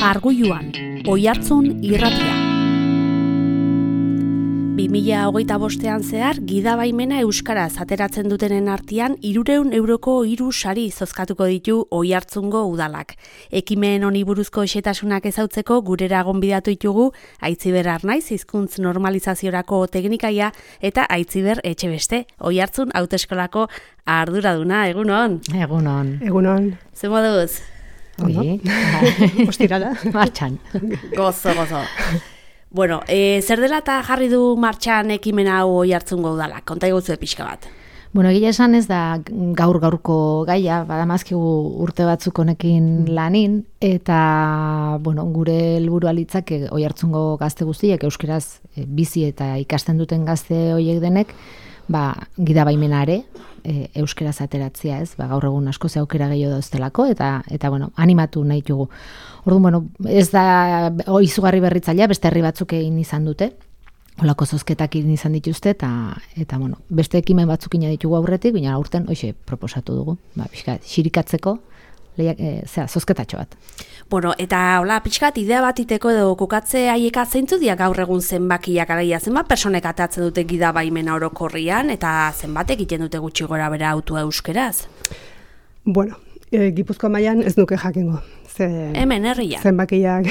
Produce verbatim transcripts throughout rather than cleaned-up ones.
Arguiluan, Oihartzun irratia. bi mila hogeita bostean zehar, gidabaimena euskaraz ateratzen dutenen artean hirurehun euroko hiru sari zozkatuko ditu Oihartzungo udalak. Ekimen honi buruzko xehetasunak ezautzeko gurera gonbidatu ditugu Aitziber Arnaiz hizkuntz normalizaziorako teknikaia eta Aitziber Etxebeste, Oihartzun hauteskolako arduraduna. Egunon. Egunon. Egunon. Ze moduz? Oye, ostirala. Martxan. Gozo, gozo. Bueno, e, zer dela eta jarri du martxan ekimen hau Oihartzungo udalak? Konta igutzu pixka bat. Bueno, egia esan ez da gaur-gaurko gaia, badamazkigu urte batzuk honekin lanin, eta bueno, gure helburua litzake Oihartzungo gazte guztiek euskeraz e, bizi eta ikasten duten gazte horiek denek, ba, gidabaimenare e, euskeraz ateratzea, ez? Ba, gaur egun asko ze aukera gehiago dauztelako, eta eta bueno, animatu nahi dugu. Orduan, bueno, ez da izugarri berritzailea, beste herri batzuk egin izan dute, holako zozketak egin izan dituzte, eta, eta bueno, beste ekimen batzuk ina ditugu aurretik, baina aurten, hoxe, proposatu dugu, ba, pixka, xirikatzeko, lehiak, e, zera, zozketatxo bat. Bueno, eta hola, pixkat, idea bat iteko edo kukatze haieka zeintzu dia gaur egun zenbakiak araia, zenbat personek atatzen dute gidabaimena orokorrian, eta zenbatek egiten dute gutxi gora bera autua euskeraz? Bueno, e, Gipuzkoa mailan ez nuke jakingo. Ze, Hemen herrian. Zenbakiak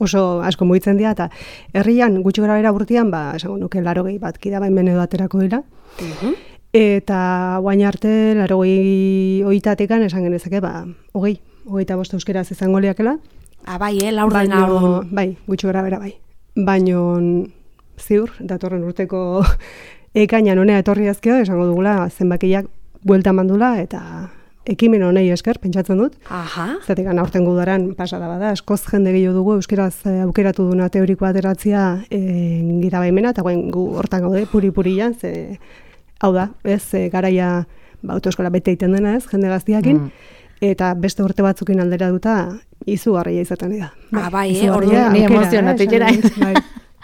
oso asko mugitzen dira, eta herrian gutxi gora bera urtean, ba, esango nuke larogei bat gidabaimen edo aterako dira. Uh-huh. Eta guain arte, larogei oitatekan esan genezake, ba, hogei, hogeita bost euskeraz izango liakela. Ah, bai, eh, laurden hau. Bai, gutxi gora bera bai. Baino ziur, datorren urteko ekainan honea etorri azkeo, esango dugula zenbakiak buelta mandula, eta ekimen honei esker, pentsatzen dut. Aha. Zatekan aurten gudaran pasada bada, askoz jende gehiago dugu euskaraz aukeratu duna teoriko ateratzea e, gidabaimena, eta guen gu hortan gaude puri-purian, ze hau da, ez, e, garaia ba, autoeskola bete egiten dena, ez, jende gaztiakin, mm. eta beste urte batzukin aldera duta izugarria izaten dira. Ah, bai, eh, orduan ni emozionatu jera.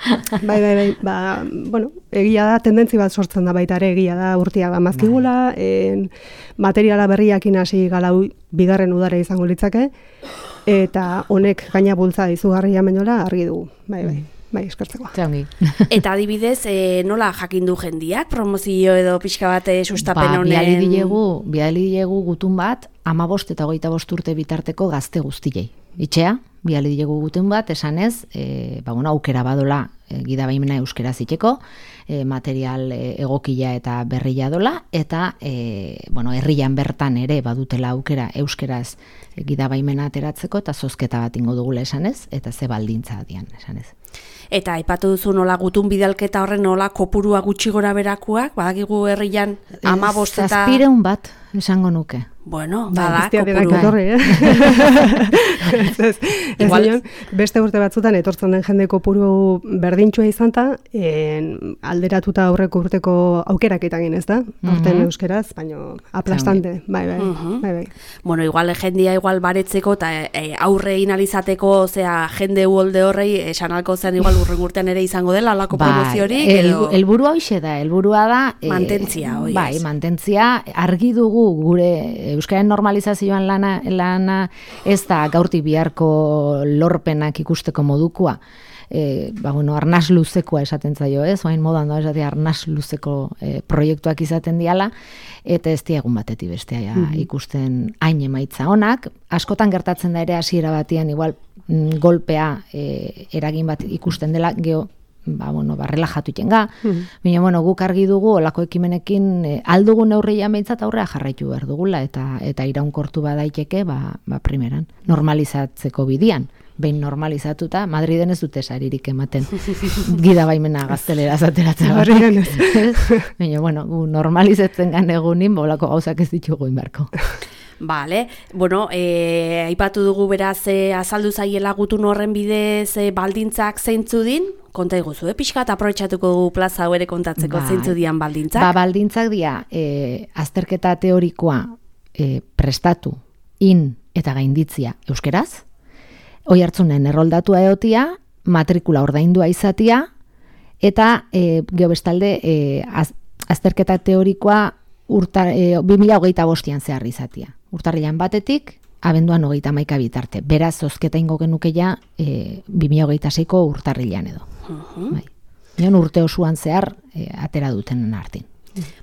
Bai, bai, bai, ba, bueno, egia da, tendentzi bat sortzen da baita ere, egia da, urtiak amazkigula, en, materiala berriakin hasi galau bigarren udara izango litzake, eta honek gaina bultza izugarria menola argi dugu, bai, bai, bai, eskertzeko. Txangi. Eta adibidez, e, nola jakin du jendiak, promozio edo pixka bat sustapen honen? Ba, biali dilegu, biali dilegu gutun bat, amabost eta hogeita bost urte bitarteko gazte guztiei. Itxea, biali dilegu gutun bat, esanez, e, ba, bueno, aukera badola e, gidabaimena euskera ziteko, e, material e, egokila eta berria dola, eta e, bueno, herrian bertan ere badutela aukera euskeraz e, gidabaimena ateratzeko, eta zozketa bat ingo dugula esanez, eta ze baldintza dian esanez. Eta aipatu duzu nola gutun bidalketa horren nola kopurua gutxi gora berakuak, badakigu herrian amabost eta... Zazpireun bat, esango nuke. Bueno, bada, bada, kopurua. Etorri, eh? ez, ez, ez Igual... dion, beste urte batzutan etortzen den jende kopuru berdintxua izan ta, en, alderatuta aurreko urteko aukerak egin ez da, aurten uh-huh. euskeraz, baino aplastante, bai, bai, uh-huh. bai, bai. Bueno, igual jendia igual baretzeko eta e, aurre inalizateko, zera, jende uolde horrei, esan alko zen igual urren urtean ere izango dela, alako bai, promoziorik, el, edo... Elburua hoxe da, elburua da... Mantentzia, eh, oi. Bai, mantentzia, argi dugu gure euskaren normalizazioan lana, lana ez da gaurtik biharko lorpenak ikusteko modukua. E, ba, bueno, arnaz luzekoa esaten zaio, ez? Oain modan da, esatea arnaz luzeko e, proiektuak izaten diala, eta ez diegun batetik bestea ja, mm-hmm. ikusten hain emaitza honak. Askotan gertatzen da ere hasiera batian, igual mm, golpea e, eragin bat ikusten dela, geho, ba, bueno, ba, relajatu itenga. Mm-hmm. Baina, bueno, guk argi dugu, olako ekimenekin e, aldugun neurria meitzat aurrea jarraitu behar dugula, eta eta iraunkortu badaiteke, ba, ba, primeran, normalizatzeko bidian. Behin normalizatuta, Madriden ez dute saririk ematen gidabaimena gaztelera zateratzen. Baina, bueno, gu normalizatzen gan egunin, bolako gauzak ez ditugu inbarko. Vale, bueno, e, aipatu dugu beraz e, azaldu zaiela gutun horren bidez e, baldintzak zeintzu din, konta iguzu, eh? Pixka eta aprobetxatuko dugu plaza hau ere kontatzeko ba, zeintzu dian baldintzak. Ba, baldintzak dia, e, azterketa teorikoa e, prestatu, in eta gainditzia euskeraz, Oihartzunen erroldatua egotia, matrikula ordaindua izatia, eta e, geobestalde e, az, azterketa teorikoa urta, e, bi mila hogeita bostean zehar izatia. Urtarrilan batetik abenduan hogeita hamaika bitarte. Beraz, zozketa ingo genuke ja e, bi mila hogeita seiko urtarrilean edo. Uh-huh. Bai. Nion urte osoan zehar e, atera dutenen artin.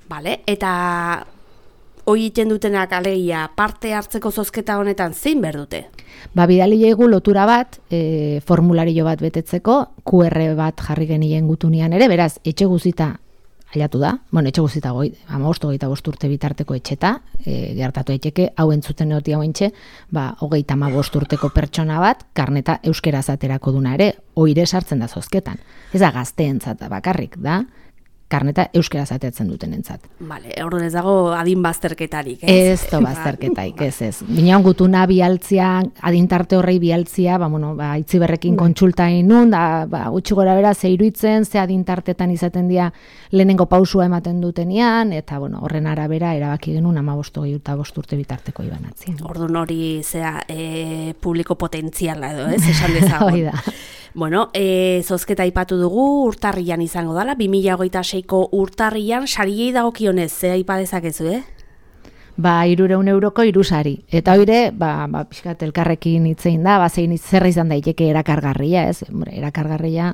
Vale, eta hoi iten dutenak alegia parte hartzeko zozketa honetan zein behar dute? Ba, bidali jaigu lotura bat, e, formulario bat betetzeko, Q R bat jarri genien gutunian ere, beraz, etxe guzita ailatu da, bueno, etxe guzita goi, hamabost, hogeita bost urte bitarteko etxeta, e, gertatu etxeke, hau entzuten egotia hoentxe, ba, hogeita hamabost urteko pertsona bat, karneta euskeraz aterako duna ere, oire sartzen da zozketan. Ez da gazteentzat bakarrik, da, karneta euskeraz ateatzen duten entzat. Vale, orduan ez dago adin bazterketarik, ez? Ez to bazterketaik, ez ez. Binean gutuna bialtzia, adintarte horrei bialtzia, ba, bueno, ba, itziberrekin kontsulta inun, da, ba, gutxi gora bera, ze iruitzen, ze adintartetan izaten dira lehenengo pausua ematen dutenian, eta, bueno, horren arabera erabaki genuen amabostu eta bost urte bitarteko ibanatzien. Orduan hori, zea, e, publiko potentziala edo, ez? Esan dezagun. Hoi da. Bueno, e, zozketa aipatu dugu, urtarrian izango dala, bi mila hogeita seiko urtarrian, sariei dagokionez, ze aipa dezakezu, eh? Ba, hirureun euroko hiru sari. Eta hoire, ba, ba, pixkat elkarrekin hitzein da, ba, zein zerra izan daiteke erakargarria, ez? Hombre, erakargarria,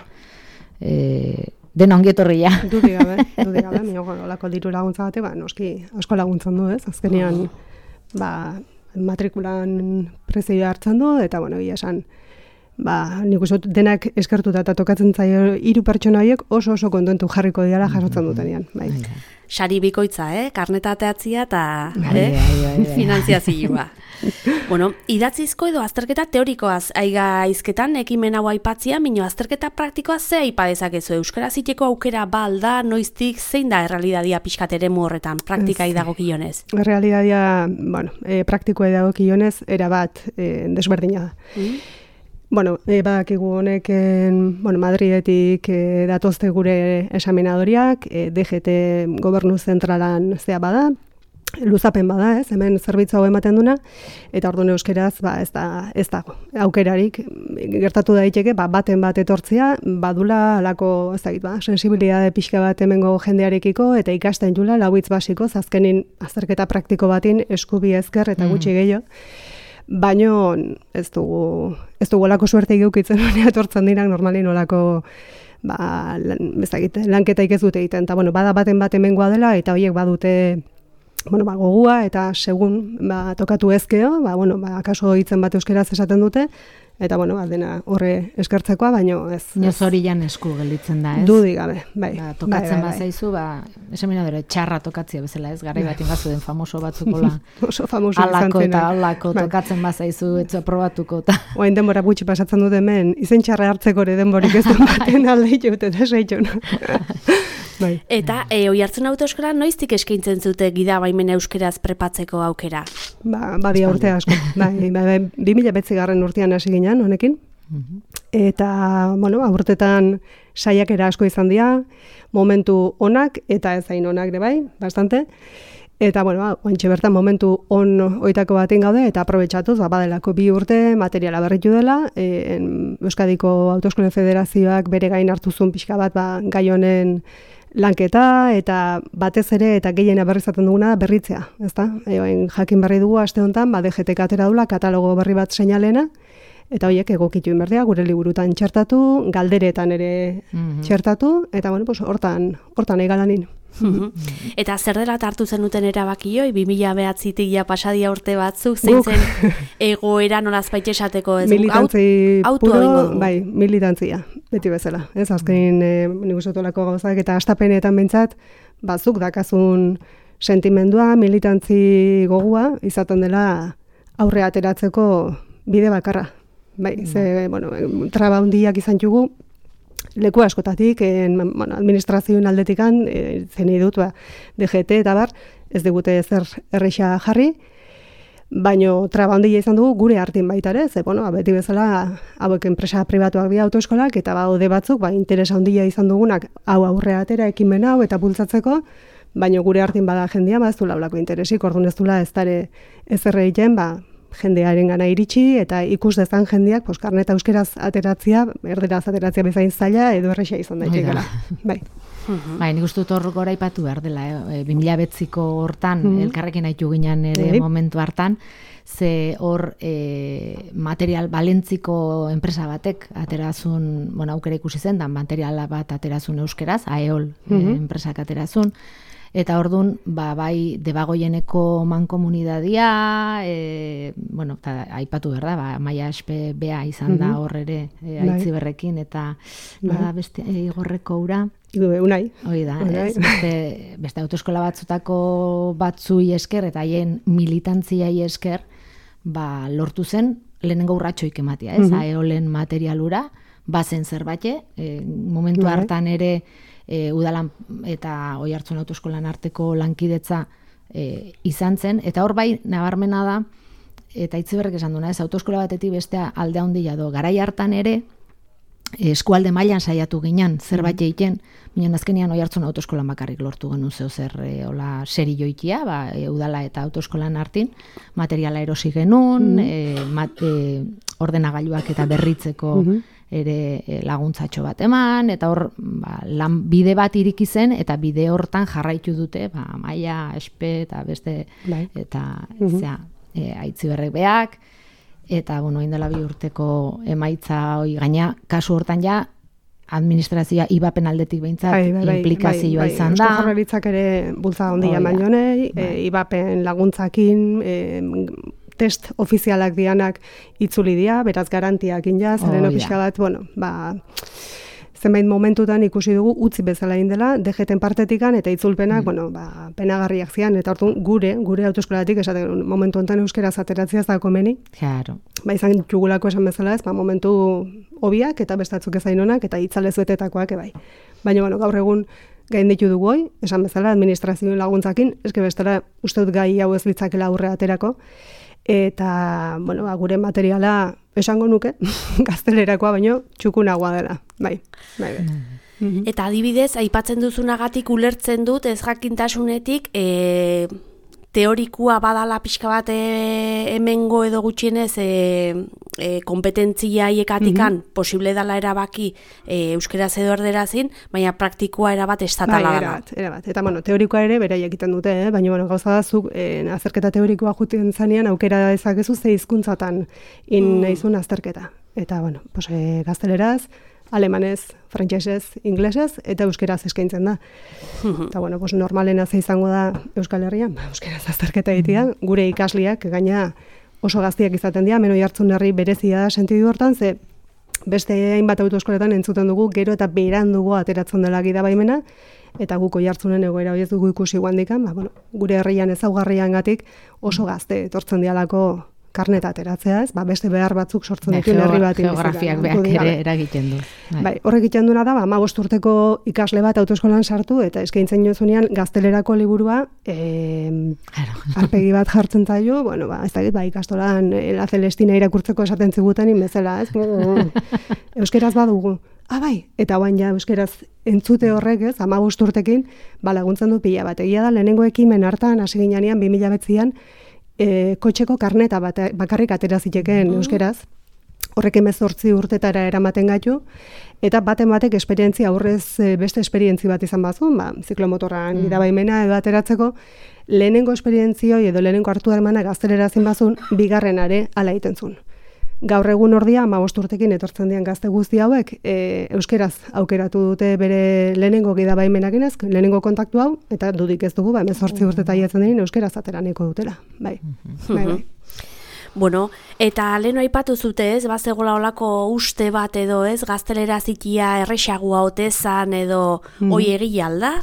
e, den ongietorria. Dudi gabe, dudi gabe, mi olako diru laguntza bate, ba, noski asko laguntzen du, ez? Azkenean, ba, matrikulan prezioa hartzen du, eta, bueno, egia esan, ba, nik uste dut denak eskertuta eta tokatzen zaio hiru pertsona horiek oso oso kontentu jarriko diala jasotzen dutenean. Bai. Sari bikoitza, eh? Karneta ateatzia eta eh? finanziazioa. Bueno, idatzizko edo azterketa teorikoaz aiga izketan ekimen hau aipatzia, mino azterketa praktikoa ze aipa dezakezu? Euskaraz iteko aukera balda, noiztik, zein da errealidadia pixkat eremu horretan, praktikai dagokionez? Errealidadia, bueno, e, praktikoa dagokionez, erabat e, desberdina da. Mm. Bueno, e, badakigu honek, bueno, Madridetik e, datozte gure esaminadoriak, e, D G T gobernu zentralan zea bada, luzapen bada, ez, hemen zerbitzu hau ematen duna, eta orduan euskeraz, ba, ez da, ez dago. Aukerarik, gertatu daiteke, ba, baten bat etortzea, badula alako, ez dakit, ba, sensibilidade pixka bat hemengo jendearekiko, eta ikasten jula, lauitz basiko, azkenin azterketa praktiko batin eskubi ezker eta gutxi gehiago. Baino ez dugu, ez dugu olako suerte geukitzen honea etortzen dirak normalin olako ba, lan, bezakit, lanketaik ez dute egiten. Eta bueno, bada baten bat hemengoa dela eta horiek badute bueno, ba, gogua eta segun ba, tokatu ezkeo, ba, bueno, ba, akaso hitzen bat euskeraz esaten dute, eta bueno, ba, dena horre eskertzekoa, baino ez. Inoz hori jan esku gelditzen da, ez? Dudi gabe, bai. Ba, tokatzen bai, bai, bazaizu, ba, esaminadore, txarra tokatzia bezala, ez? Garai bat ingazu den famoso batzukola. Oso famoso alako izan eta alako bai. Tokatzen bazaizu, etzu aprobatuko. Ta. Oain denbora gutxi pasatzen dut hemen, izen txarra hartzeko ere denborik ez dut baten alde itut, eta seitxun. Bai. Eta e, oi hartzen autoeskola noiztik eskaintzen zute gida baimena euskeraz prepatzeko aukera? Ba, badia urte asko. Bai, bai, bi mila bederatzgarren urtean hasi ginen honekin. Eta, bueno, aurtetan saiakera asko izan dira, momentu onak eta ez hain onak ere bai, bastante. Eta, bueno, ointxe bertan momentu on oitako baten gaude, eta aprobetxatuz, ba, badelako bi urte materiala berritu dela, e, Euskadiko Autoeskolen Federazioak bere gain hartuzun pixka bat, ba, gai honen lanketa, eta batez ere, eta gehiena berrizaten duguna berritzea, ezta? E, jakin berri dugu, aste honetan, ba, D G T atera dula, katalogo berri bat seinalena, eta horiek egokitu inberdea, gure liburutan txertatu, galderetan ere mm-hmm. txertatu, eta, bueno, pues, hortan, hortan egalanin. Eta zer dela hartu zenuten erabakioi, bi mila behatzitik ja pasadia urte batzuk, zein zen egoera nolazbait esateko ez? Militantzi aut, puro, bai, militantzia, beti bezala. Ez azkenin e, nik usotolako gauzak eta astapenetan bentsat, bazuk dakazun sentimendua, militantzi gogua, izaten dela aurre ateratzeko bide bakarra. Bai, ze, bueno, traba hundiak izan jugu, leku askotatik, en, bueno, administrazioen aldetikan, e, zen dut, ba, D G T eta bar, ez digute zer erreixa jarri, baino traba handia izan dugu gure artin baita ere, ze, bueno, beti bezala, hauek enpresa pribatuak dira autoeskolak, eta baude batzuk, ba, interesa handia izan dugunak, hau aurre atera, ekimen hau, eta bultzatzeko, baino gure artin bada jendia, ba, ez du laulako interesik, orduan ez dula ez dare ez erreiten, ba, jendearen gana iritsi, eta ikus dezan jendeak, pues, karneta euskeraz ateratzia, erderaz ateratzia bezain zaila, edo erresa izan daitekela. Bai. Uh-huh. Bai, nik uste dut hor gora ipatu behar dela, eh? bi mila bederatziko hortan, uh-huh. elkarrekin haitu ginen ere uh-huh. momentu hartan, ze hor e, material balentziko enpresa batek aterazun, bueno, aukera ikusi zen, da materiala bat aterazun euskeraz, Aeol uh-huh. e, enpresak aterazun, eta ordun ba, bai debagoieneko mankomunidadia, e, bueno, ta, aipatu behar da, ba, Maia Espe bea izan da hor ere e, Aitziberrekin, eta bada beste e, Igorreko ura. Unai. Hoi da, ez, beste, beste autoeskola batzutako batzui esker, eta haien militantziai esker, ba, lortu zen lehenengo urratxoik ematia, ez, uh-huh. Aeolen materialura, bazen zerbait, e, momentu hartan ere, E, udalan eta Oiartzun autoeskolan arteko lankidetza e, izan zen, eta hor bai nabarmena da, eta Itziberrek esan duna, ez, autoeskola batetik bestea alde handia do, garai hartan ere eskualde mailan saiatu ginen zerbait egiten, baina azkenean Oiartzun autoeskolan bakarrik lortu genuen zeo zer e, hola seri joitia, ba, e, udala eta autoeskolan artin, materiala erosi genuen, mm. e, mat, e, ordenagailuak eta berritzeko mm-hmm. ere laguntzatxo bat eman, eta hor ba, lan bide bat iriki zen, eta bide hortan jarraitu dute, ba, Maia, Espe, eta beste, bai. Eta mm-hmm. zera, e, Aitziberrek beak, eta, bueno, indela bi urteko emaitza hoi gaina, kasu hortan ja, administrazioa ibapen aldetik behintzat bai, bai, implikazioa bai, bai, izan da. Eusko Jaurlaritzak ere bultza handia eman jonei, bai. e, ibapen laguntzakin, e, test ofizialak dianak itzuli dira, beraz garantiak inja, zeren oh, pixka bat, bueno, ba, zenbait momentutan ikusi dugu utzi bezala indela, D G T-en partetikan eta itzulpenak, mm. bueno, ba, penagarriak zian, eta orduan gure, gure autoeskolatik, esaten momentu honetan euskeraz ateratzea ez da komeni. Claro. Ba, izan txugulako esan bezala ez, ba, momentu hobiak eta bestatzuk ezain honak, eta itzalez betetakoak ebai. Baina, bueno, gaur egun gain ditu dugu hoi, esan bezala, administrazioen laguntzakin, eske bestela uste dut gai hau ez litzakela aurre aterako, eta, bueno, ba, gure materiala esango nuke, gaztelerakoa baino, txukunagoa dela, bai, bai, bai. Mm-hmm. Eta adibidez, aipatzen duzunagatik ulertzen dut, ez jakintasunetik, e, teorikua badala pixka bat e, hemengo edo gutxienez e, e, kompetentzia hiekatikan mm-hmm. posible dala erabaki e, euskeraz edo erderazin, baina praktikoa erabat estatala bai, dela. Erabat, erabat. Eta bueno, teorikoa ere bera egiten dute, eh? Baina bueno, gauza da zuk e, azterketa teorikoa juten zanean aukera dezakezu ze hizkuntzatan in mm. naizun azterketa. Eta bueno, pues, e, gazteleraz, alemanez, frantsesez, inglesez eta euskeraz eskaintzen da. Mm-hmm. Eta bueno, pues, normalena ze izango da Euskal Herrian, ba, euskeraz azterketa egitea, gure ikasliak gaina oso gaztiak izaten dira, Hemen Oiartzun herri berezia da sentidu hortan, ze beste hainbat autoeskoletan entzuten dugu, gero eta berandugo ateratzen dela gidabaimena, eta guk Oiartzunen egoera hori ez dugu ikusi guandikan, ba, bueno, gure herrian ezaugarriangatik oso gazte etortzen dialako karneta ateratzea, ez? Ba, beste behar batzuk sortzen bai, dituen herri bat. Geografiak behar ere eragiten du. Bai. Bai, horrek egiten duena da, ba, hamabost urteko ikasle bat autoeskolan sartu, eta eskaintzen jozunean gaztelerako liburua eh, arpegi bat jartzen zaio, bueno, ba, ez da, ba, ikastolan La Celestina irakurtzeko esaten ziguten inbezela, ez? Euskeraz badugu. Ah, bai, eta guain ja euskeraz entzute horrek, ez, hamabost urtekin, ba, laguntzen du pila bat. Egia da, lehenengo ekimen hartan, hasi ginean, bi mila bederatzian, E, kotxeko karneta bat, bakarrik atera zitekeen mm-hmm. euskeraz, horrek hemezortzi urtetara eramaten gaitu, eta baten batek esperientzia aurrez beste esperientzi bat izan bazun, ba, ziklomotorran mm. gidabaimena edo ateratzeko, lehenengo esperientzioi edo lehenengo hartu harmana gaztelera zin bazun, bigarrenare ala egiten zuen. Gaur egun ordia, hamabost urtekin etortzen dian gazte guzti hauek, e, euskeraz aukeratu dute bere lehenengo gidabaimenakin ez, lehenengo kontaktu hau, eta dudik ez dugu, ba, hemezortzi urteta jatzen denin euskeraz ateraneko dutela. Bai, mm-hmm. bai, bai. Bueno, eta leheno aipatu zute ez, bazegola olako uste bat edo ez, gaztelera zitia errexagua otezan edo mm. oi egia alda?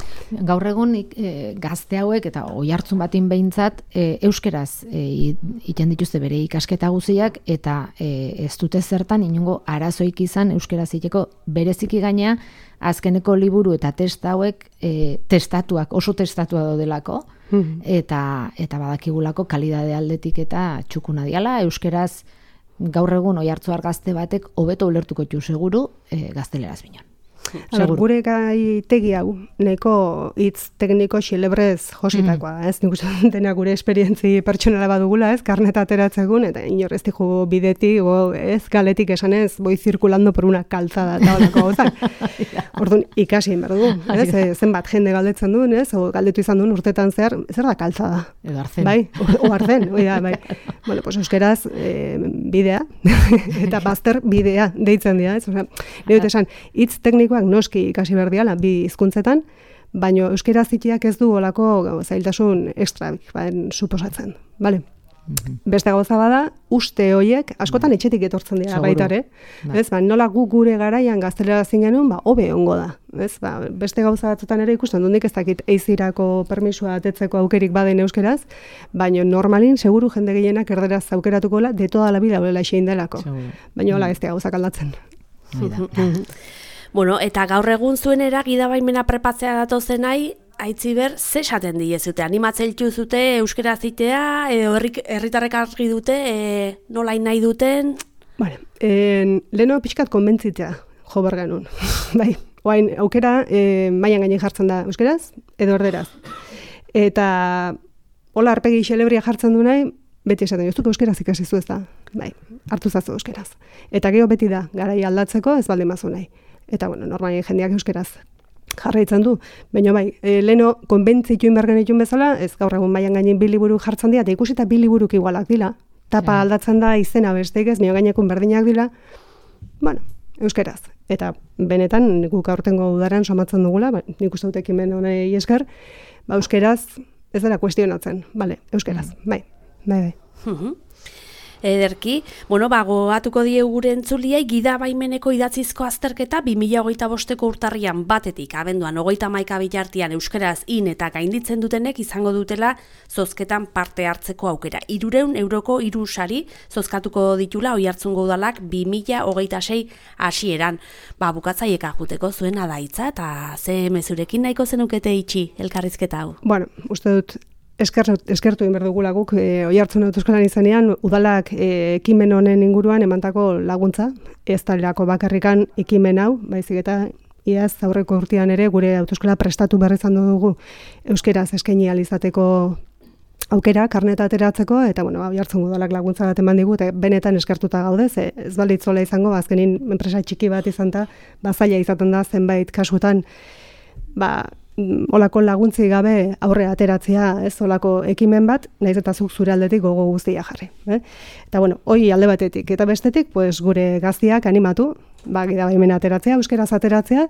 Gaur egun e, gazte hauek eta Oiartzun batin behintzat e, euskeraz egiten e, dituzte bere ikasketa guziak eta e, ez dute zertan inongo arazoik izan euskeraz egiteko bereziki gainea azkeneko liburu eta testa hauek e, testatuak, oso testatua daudelako, mm-hmm. eta eta badakigulako kalidade aldetik eta txukuna diala, euskeraz gaur egun Oiartzuar gazte batek hobeto ulertuko ditu seguru e, gazteleraz binon. Aber, gure gai tegi hau, neko hitz tekniko xilebrez jositakoa, mm. ez? Nik uste dena gure esperientzi pertsonala badugula, ez? Karneta ateratzegun, eta inor ez dijo bideti, o, ez? Galetik esanez, boi zirkulando por una calzada, eta holako gauzak. Orduan, ikasi egin behar dugu, ez? E, zenbat jende galdetzen duen, ez? O galdetu izan duen urtetan zehar, zer da calzada? Edo arzen. Bai, o, o arzen, oida, bai. Bueno, pues euskeraz, e, bidea, eta bazter bidea deitzen dira, ez? Osea, nire dut esan, hitz teknikoak noski ikasi behar diala, bi hizkuntzetan, baina euskera zitiak ez du olako zailtasun ekstra, baden suposatzen, bale? Mm-hmm. Beste gauza bada, uste hoiek, askotan mm. etxetik etortzen dira baitare, ez? Ba, nola gu gure garaian gaztelera zin genuen, ba, hobe ongo da, ez? Ba, beste gauza batzutan ere ikusten dundik ez dakit eizirako permisua atetzeko aukerik baden euskeraz, baina normalin, seguru jende gehienak erderaz aukeratukola, de toda la vida holela xein delako. Baina hola ez da gauzak aldatzen. Bueno, eta gaur egun zuenera gidabaimena prepatzea datozen nahi, Aitziber, ze esaten diezute? Animatzailtu zute euskera zitea, edo herritarrek argi dute, e, nolain nahi duten? Vale, en, leheno pixkat konbentzitzea jo behar genuen. Bai, oain, aukera e, mailan gainen jartzen da euskeraz, edo erderaz. Eta hola arpegi xelebria jartzen du nahi, beti esaten, ez duk euskeraz ikasi zu ez da. Bai, hartu zazu euskeraz. Eta gero beti da, garai aldatzeko ez baldin bazu nahi. Eta, bueno, normalien jendeak euskeraz jarraitzen du. Baina bai, e, leheno konbentzitu inbergen ditun bezala, ez gaur egun mailan gainen bi liburu jartzen dira, eta ikusita bi liburuk igualak dila. Tapa aldatzen da izena besteik ez, nio gainekun berdinak dila. Bueno, euskeraz. Eta benetan, guk aurtengo udaran somatzen dugula, ba, nik uste dut ekimen honei esker, ba, euskeraz ez dela kuestionatzen. Bale, euskeraz. Mm. Bai, bai, bai. Ederki, bueno, ba, goatuko diegu gure entzuliai gidabaimeneko idatzizko azterketa bi mila hogeita bosteko urtarrian batetik, abenduan hogeita hamaika bitartean euskeraz in eta gainditzen dutenek izango dutela zozketan parte hartzeko aukera. Hirurehun euroko hiru sari zozkatuko ditula Oiartzungo udalak bi mila hogeita sei hasieran. Ba, bukatzaieka juteko zuen adaitza eta ze mezurekin nahiko zenukete itxi elkarrizketa hau. Bueno, uste dut Eskertu, eskertu inber dugula guk, e, Oiartzun autoeskolan izanean, udalak e, ekimen honen inguruan emantako laguntza, ez talerako bakarrikan ekimen hau, baizik eta iaz aurreko urtean ere gure autoeskola prestatu berri izan dugu euskeraz eskaini ahal izateko aukera, karneta ateratzeko, eta bueno, Oiartzun udalak laguntza bat eman digu, eta benetan eskertuta gaude, ze ez balitzola izango, azkenin enpresa txiki bat izan da, bazaila izaten da zenbait kasutan, ba, olako laguntzi gabe aurre ateratzea, ez olako ekimen bat, naiz eta zuk zure aldetik gogo guztia jarri. Eh? Eta bueno, hoi alde batetik eta bestetik, pues, gure gaztiak animatu, ba, gidabaimena ateratzea, euskeraz ateratzea,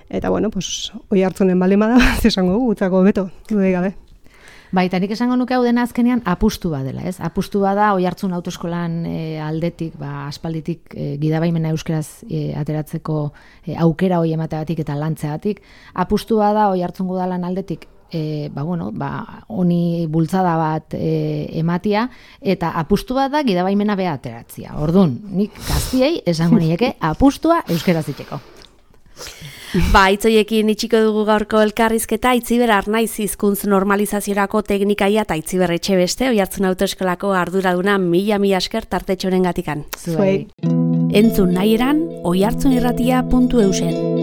eta bueno, pues, Oiartzunen baldin bada, esango gutzako beto, dudei gabe. Bai, eta nik esango nuke hau dena azkenean apustu bat dela, ez? Apustu bat da Oiartzun autoeskolan e, aldetik, ba, aspalditik e, gidabaimena euskeraz e, ateratzeko e, aukera hoi emateagatik eta lantzeagatik. Apustu bat da Oiartzun udalan aldetik e, ba, bueno, ba, honi bultzada bat e, ematia, eta apustu bat da gidabaimena beha ateratzia. Orduan, nik gaztiei esango nieke apustua euskeraz itxeko. Ba, itzoiekin itxiko dugu gaurko elkarrizketa, Aitziber Arnaiz hizkuntz normalizaziorako teknikaia eta Aitziber Etxebeste, Oiartzun autoeskolako arduraduna mila mila esker tartetxoren gatikan. Zuei. Entzun nahi eran, oiartzunirratia puntu eusen.